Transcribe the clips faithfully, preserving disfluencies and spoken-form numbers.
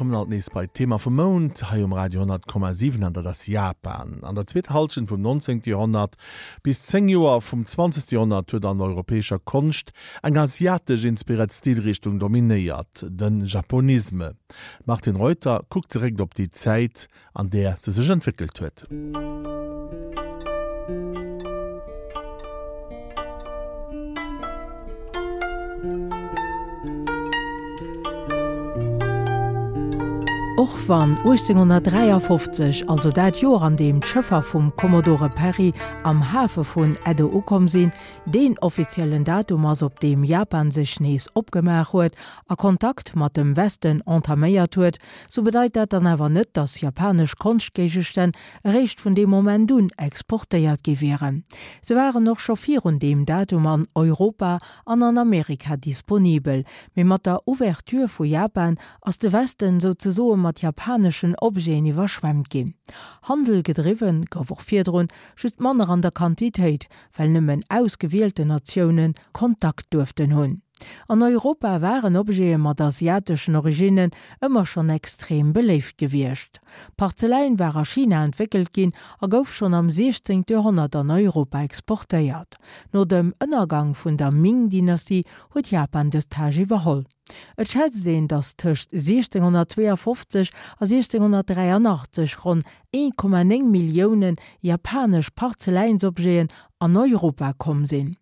kommen alt nees bei d'Thema vum Mount hei um Radio honnert Komma siwen an dat ass Japan. An der zweeter Hallschent vum neunzehnte Joerhonnert bis zéng Joer vum zwanzegste Joerhonnert huet an der europäescher Konscht eng asiatesch inspiréiert Stilrichtung dominéiert, de Japonisme. D'Martine Reuter kuckt zeréck op déi Zäit, an där se sech entwéckelt huet. Och wann uechtzénghonnertdräiafofzeg, also dat Joer an deem d'Schëffer vum Commodore Perry am Hafe vun Edo ukomm sinn, deen offiziellen Datum ass, op deem Japan sech nees opgemaach huet a Kontakt mat dem Westen entaméiert huet, sou bedeit dat dann awer net, dass japanesch Konschtgéigestänn eréischt vun deem Moment un exportéiert gi wieren. Se waren och scho virun deem Datum an Europa an an Amerika disponibel, mee mat der Ouverture vu Japan ass de Westen souzesoe mat japaneschen Objeten iwwerschwemmt ginn. Handel gedriwwen gouf och virdrun, just manner an der Quantitéit, well nëmmen ausgewielten Natioune Kontakt duerften hunn. An Europa waren Objete mat asiateschen Originnen ëmmer schonn extrem beléift gewiescht. Parzeläin war a China entwéckelt ginn a gouf schonn am siechzéngte Joerhonnert an Europa exportéiert. No dem Ënnergang vun der Ming-Dynastie huet Japan dës Tâche iwwerholl. Et schätzt een, datt tëscht siechzénghonnertzweeafofzeg a siechzénghonnertdräianachtzeg ronn een Komma néng Millioune japanesch Parzeläinsobjeten an Europa komm sinn.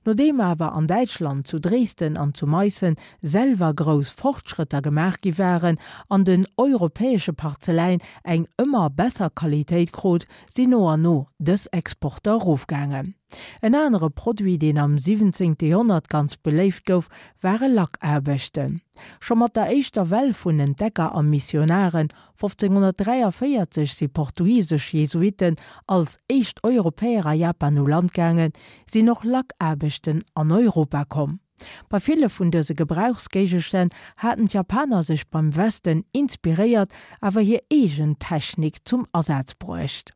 Nodeem awer an Däitschland, zu Dresden an zu Meissen, selwer grouss Fortschrëtter gemaach gi waren an den europäesche Parzeläin eng ëmmer besser Qualitéit krut, sinn no an no dës Exporter erofgaangen. En anere Produit, deen am siwwenzéngte Joerhonnert ganz beléift gouf, ware Lackaarbechten. Scho mat der éischter Well vun Entdecker a Missionaren, fofzénghonnertdräiavéierzeg si portugisesch Jesuitten als éischt Europäer a Japan u Land gaangen, sinn och Lackaarbechten an Europa komm. Bei ville vun dëse Gebrauchsgéigestänn haten d'Japaner sech beim Westen inspiréiert, awer hir eegen Technik zum Asaz bruecht.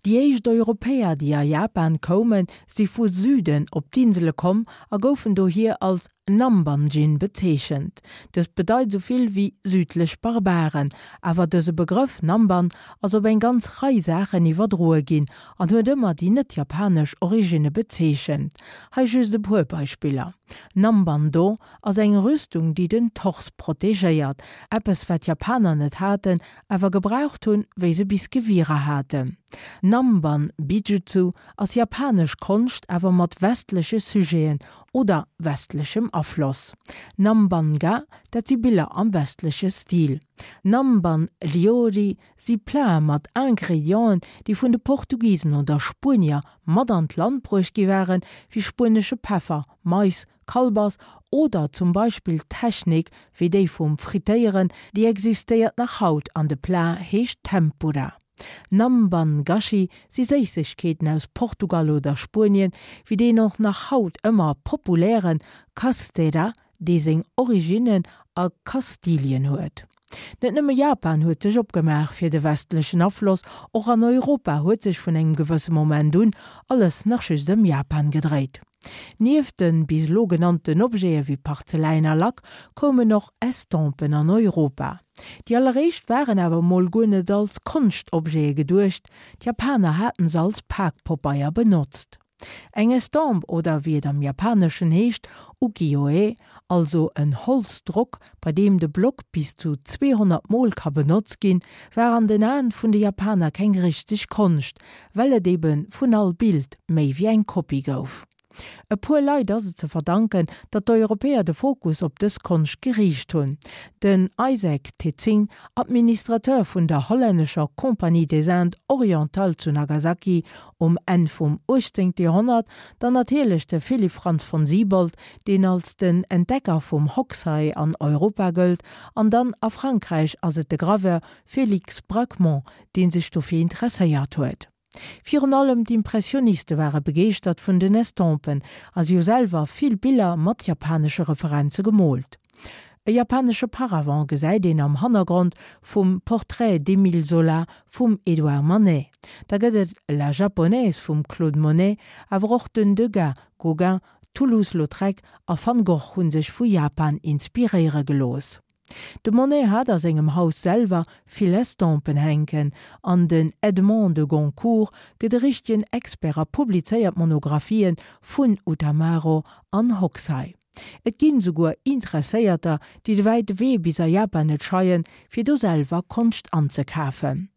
Déi éischt Europäer, déi a Japan koumen, si vu Süden op d'Insele komm a goufen dohier als Nambanjin bezeechent. Dëst bedeit esou vill wéi südlech Barbaren, awer dëse Begrëff Namban ass op eng ganz Rei Saachen iwwerdroe ginn an huet ëmmer déi net-japanesch Originne bezeechent. Hei just e puer Beispiller, Namban-do ass eng Rüstung, déi den Tors protegéiert, eppes wat d'Japaner net haten, awer gebraucht hunn, wéi se bis Gewierer haten. Namban Bijutsu ass japanesch Konscht, awer mat westleche Sujeten oder westlechem Afloss. Namban-ga, dat si Biller am westleche Stil. Namban Ryori si Platen mat Ingredienten, déi vun de Portugisen oder Spuenier mat an d'Land bruecht gi waren, wéi spuenesche Peffer, Mais, Kalbass oder zum Beispill Technik wéi déi vum Frittéieren, déi existéiert nach haut an de Plat heescht Tempura. Namban Gashi si Séissegkeeten aus Portugal oder Spuenien, wéi deen och nach haut ëmmer populäre Castera, dee seng Originnen a Kastilien huet. Net nëmme Japan huet sech opgemaach fir de westlechen Afloss, och an Europa huet sech vun engem gewësse Moment un alles nach just ëm Japan gedréit. Nieft de bis elo genannten Objete wéi Parzeläin a Lack koumen och Estompen an Europa. Déi alleréischt waren awer mol guer net als Konschtobjete geduecht, d'Japaner haten se als Pakpobeier benotzt. Eng Estompe oder wéi et am Japaneschen heescht, Ukiyo-e, also en Holzdrock, bei deem de Block bis zu zweehonnert Mol ka benotzt ginn, war an den Aen vun de Japaner keng richteg Konscht, well et ebe vun all Bild méi wéi eng Kopie gouf. E puer Leit ass et ze verdanken, datt d'Europäer de Fokus op dës Konscht geriicht hunn. Den Isaac Titsingh, Administrateur vun der hollännescher Compagnie des Indes orientales zu Nagasaki um Enn vum uechtzéngte Joerhonnert, dann natierlech de Philipp Franz von Siebold, deen als den Entdecker vum Hokusai an Europa gëllt, an dann a Frankräich ass et de Graveur Félix Bracquemond, dee sech dofir interesséiert huet. Virun allem d'Impressioniste ware begeeschtert vun den Estompen a si hu selwer vill Biller mat japanesche Referenze gemoolt. E japanesche Paravent gesäit een am Hannergrond vum Portrait d'Émile Zola vum Édouard Manet. Da gëtt et La Japonaise vum Claude Monet, awer och den Degas, Gauguin, Toulouse-Lautrec a Van Gogh hu sech vu Japan inspiréiere gelooss. De Monet hat a sengem Haus selwer vill Estompen hänken, an den Edmond de Goncourt gëtt e richtegen Expert a publizéiert Monographien vun Utamaro an Hokusai. Et ginn souguer Interesséierter, déi de wäite Wee bis a Japan net scheien, fir do selwer Konscht anzekafen.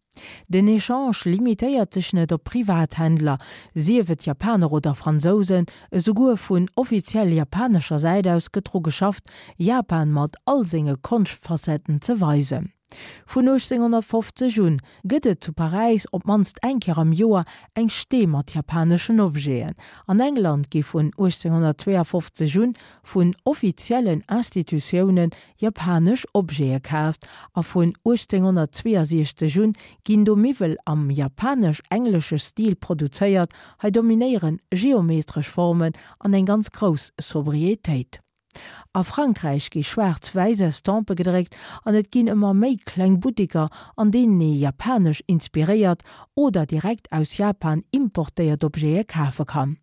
Den Echange limitéiert sech net op Privathändler, sief et Japaner oder Fransousen, esouguer vun offiziell japanescher Säit aus gëtt dru geschafft, Japan mat all senge Konschtfacetten ze weisen. Vun uechtzénghonnertfofzeg un gëtt et zu Paräis op d'mannst eng Kéier am Joer eng Stee mat japaneschen Objeten. An England gi vun uechtzénghonnertzweeafofzeg un vun offiziellen Institutiounen japanesch Objete kaaft a vun uechtzénghonnertzweeasiechzeg un ginn do Miwwel am japanesch-englesche Stil produzéiert, hei dominéieren geometresch Formen an eng ganz grouss Sobrietéit. A Frankräich gi schwaarz-wäiss Estampe gedréckt an et ginn ëmmer méi kleng Butteker, an deenen ee japanesch inspiréiert oder direkt aus Japan importéiert Objete kafe kann.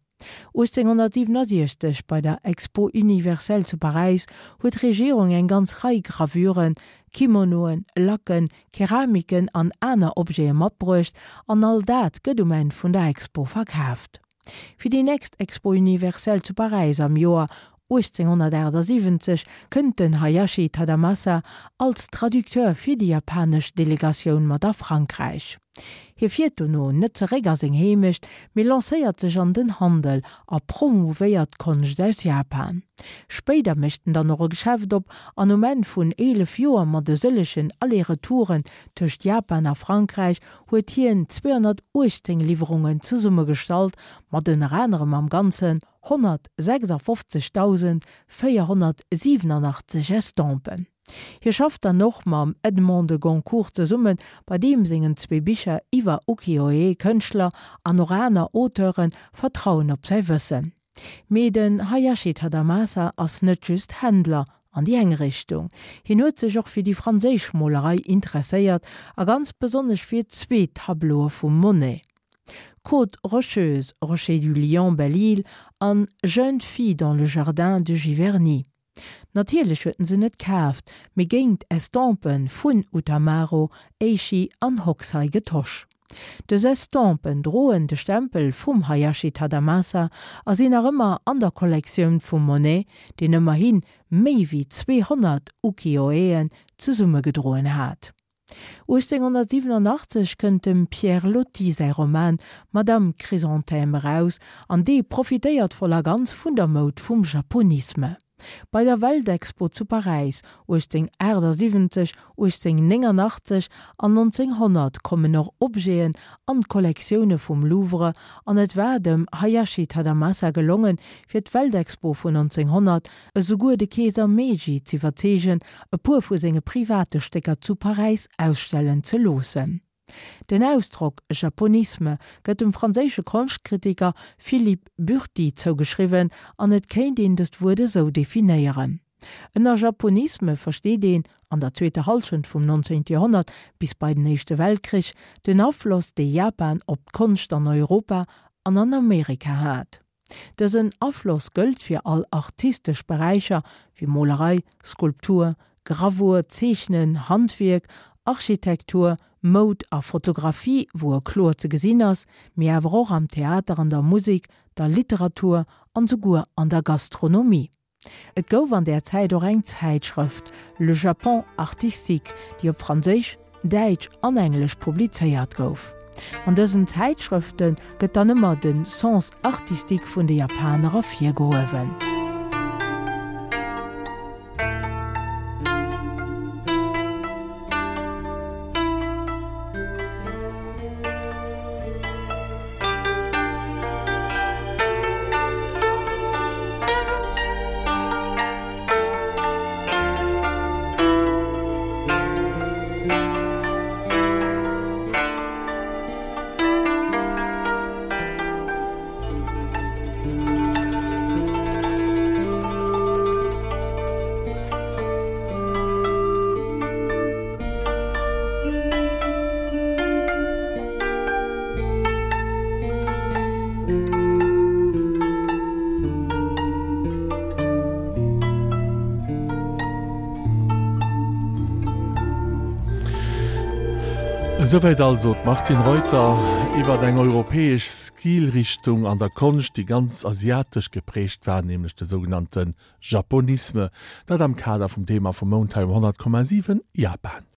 uechtzénghonnertsiwwenasiechzeg bei der Expo Universelle zu Paräis huet d'Regierung eng ganz Rei Gravuren, Kimonoen, Lacken, Keramiken an aner Objete matbruecht an all dat gëtt um Enn vun der Expo verkaaft. Fir déi nächst Expo Universelle zu Paräis am Joer uechtzénghonnertaachtsiwwenzeg kënnt den Hayashi Tadamasa als Traducteur fir déi japanesch Delegatioun mat a Frankräich. Hie fiert dono net zeréck a seng Heemecht, mee lancéiert sech an den Handel a promouvéiert d'Konscht aus Japan. Spéider mécht en dann och e Geschäft op an um Enn vun eelef Joer mat e sëllegen Aller-Retouren tëscht Japan a Frankräich huet hien zweehonnertuechtzéng Liwwerungen zesummegestallt, mat ënner anerem am Ganzen honnertsechsafofzegdausendvéierhonnertsiwenachtzeg Estompen. Hie schafft dann och mam Edmond de Goncourt zesummen, bei deem sengen zwee Bicher iwwer Ukiyo-e-Kënschtler an och aner Auteure vertrauen op säi Wëssen. Mee den Hayashi Tadamasa ass net just Händler an déi eng Richtung. Hien huet sech och fir déi franséisch Molerei interesséiert a ganz besonnesch fir zwee Tableaue vum Monet, Côte rocheuse, Rocher du Lion, Belle-Île an Jeune fille dans le jardin de Giverny. Natierlech huet en se net kaaft, mee géint Estompe vun Utamaro, Eishi an Hokusai getosch. Dës Estompen droen de Stempel vum Hayashi Tadamasa a sinn nach ëmmer an der Kollektioun vum Monet, deen ëmmerhi méi wéi zweehonnert Ukiyo-e'en zesummegedroen hat. uechtzénghonnertsiwenachtzeg kënnt dem Pierre Loti säi Roman Madame Chrysanthème eraus an dee profitéiert voll a ganz vun der Moud vum Japonisme. Bei der Weltexpo zu Paräis uechtzénghonnertaachtsiwwenzeg, uechtzénghonnertnéngernachtzeg an nonzénghonnert kommen och Objeten an d'Kollektioune vum Louvre an et war dem Hayashi Tadamasa gelongen, fir d'Weltexpo vun nonzénghonnert esouguer de Keeser Meiji z'iwwerzeegen, e puer vu senge private Stécker zu Paräis ausstellen ze loossen. Den Ausdrock Japonisme gëtt dem franséische Konschtkritiker Philippe Burty zougeschriwwen an et kéint een dëst Wuert esou definéieren, Ënner Japonisme versteet een, an der zweeter Hallschent vum nonzéngte Joerhonnert bis bei den Éischte Weltkrich, den Afloss, dee Japan op d'Konscht an Europa an an Amerika hat. Dësen Afloss gëllt fir all artistesch Beräicher wéi Molerei, Skulptur, Gravur, Zeechnen, Handwierk, Architektur, Moud a Fotografie, wou e kloer ze gesinn ass, mee awer och am Theater, an der Musek, der Literatur an souguer an der Gastronomie. Et gouf an där Zäit och eng Zäitschrëft, Le Japon artistique, déi op Franséisch, Däitsch an Englesch publizéiert gouf. An dësen Zäitschrëfte gëtt dann ëmmer de Sens artistique vun de Japaner ervirgehuewen. Esouwäit also d'Martine Reuter iwwer eng europäesch Stilrichtung an der Konscht, déi ganz asiatesch geprägt war, nämlech de sougenannte Japonisme, dat am Kader vum Thema vum Mount hei um honnert Komma siwen Japan.